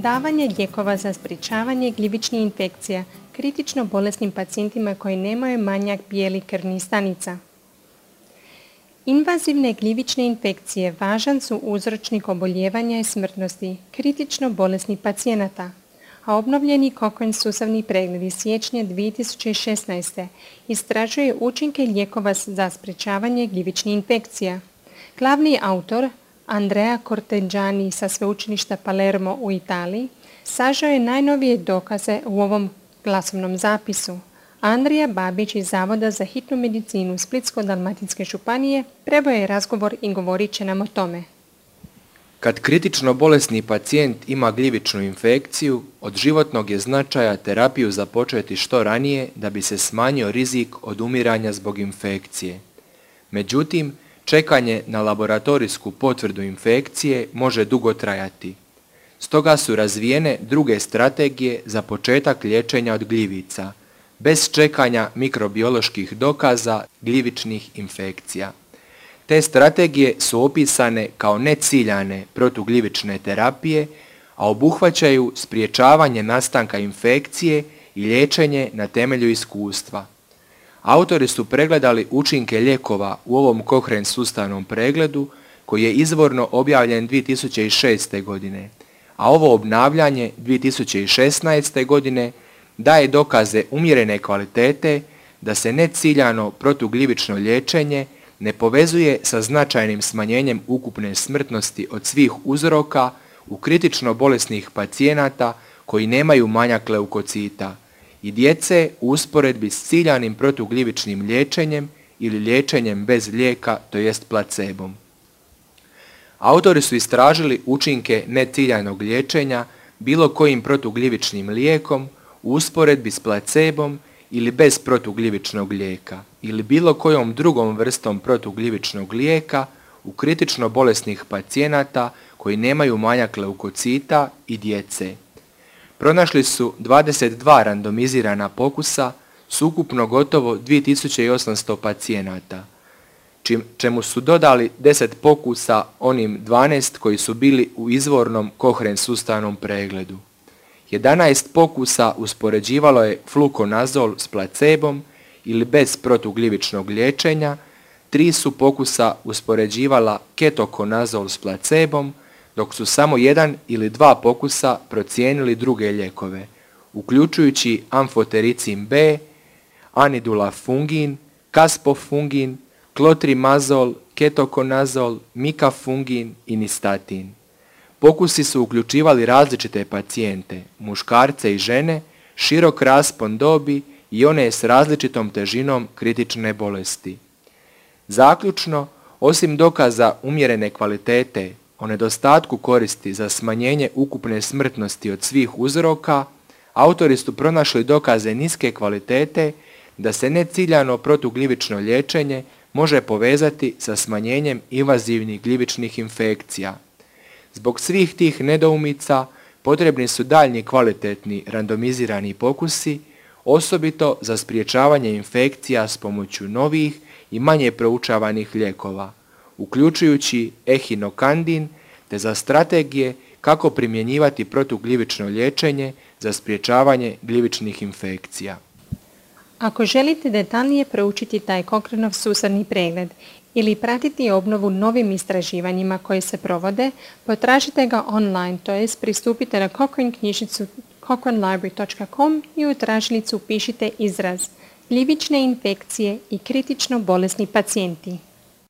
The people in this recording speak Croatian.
Davanje lijekova za sprječavanje gljivičnih infekcija kritično bolesnim pacijentima koji nemaju manjak bijelih krvnih stanica. Invazivne gljivične infekcije važan su uzročnik oboljevanja i smrtnosti kritično bolesnih pacijenata, a obnovljeni Cochrane sustavni pregled iz siječnja 2016. istražuje učinke lijekova za sprječavanje gljivičnih infekcija. Glavni autor, Andrea Corteggiani sa sveučilišta Palermo u Italiji, sažeo je najnovije dokaze u ovom glasovnom zapisu. Andrija Babić iz Zavoda za hitnu medicinu Splitsko-dalmatinske županije prebao je razgovor i govorit će nam o tome. Kad kritično bolesni pacijent ima gljivičnu infekciju, od životnog je značaja terapiju započeti što ranije da bi se smanjio rizik od umiranja zbog infekcije. Međutim, čekanje na laboratorijsku potvrdu infekcije može dugo trajati. Stoga su razvijene druge strategije za početak liječenja od gljivica, bez čekanja mikrobioloških dokaza gljivičnih infekcija. Te strategije su opisane kao neciljane protugljivične terapije, a obuhvaćaju sprječavanje nastanka infekcije i liječenje na temelju iskustva. Autori su pregledali učinke lijekova u ovom Cochrane sustavnom pregledu koji je izvorno objavljen 2006. godine, a ovo obnavljanje 2016. godine daje dokaze umjerene kvalitete da se neciljano protugljivično liječenje ne povezuje sa značajnim smanjenjem ukupne smrtnosti od svih uzroka u kritično bolesnih pacijenata koji nemaju manjak leukocita i djece u usporedbi s ciljanim protugljivičnim liječenjem ili liječenjem bez lijeka, to jest placebom. Autori su istražili učinke neciljanog liječenja bilo kojim protugljivičnim lijekom u usporedbi s placebom ili bez protugljivičnog lijeka ili bilo kojom drugom vrstom protugljivičnog lijeka u kritično bolesnih pacijenata koji nemaju manjak leukocita i djece. Pronašli su 22 randomizirana pokusa s ukupno gotovo 2800 pacijenata, čemu su dodali 10 pokusa onim 12 koji su bili u izvornom Cochrane sustavnom pregledu. 11 pokusa uspoređivalo je flukonazol s placebom ili bez protugljivičnog liječenja, 3 su pokusa uspoređivala ketokonazol s placebom, dok su samo 1 ili 2 pokusa procijenili druge lijekove, uključujući amfotericin B, anidulafungin, kaspofungin, klotrimazol, ketokonazol, mikafungin i nistatin. Pokusi su uključivali različite pacijente, muškarce i žene, širok raspon dobi i one s različitom težinom kritične bolesti. Zaključno, osim dokaza umjerene kvalitete o nedostatku koristi za smanjenje ukupne smrtnosti od svih uzroka, autori su pronašli dokaze niske kvalitete da se neciljano protugljivično liječenje može povezati sa smanjenjem invazivnih gljivičnih infekcija. Zbog svih tih nedoumica potrebni su daljnji kvalitetni randomizirani pokusi, osobito za sprječavanje infekcija s pomoću novih i manje proučavanih lijekova, uključujući ehinokandin, te za strategije kako primjenjivati protugljivično liječenje za sprječavanje gljivičnih infekcija. Ako želite detaljnije proučiti taj Cochraneov sustavni pregled ili pratiti obnovu novim istraživanjima koje se provode, potražite ga online, to jest pristupite na Cochrane knjižnicu cochranelibrary.com i u tražilicu upišite izraz gljivične infekcije i kritično bolesni pacijenti.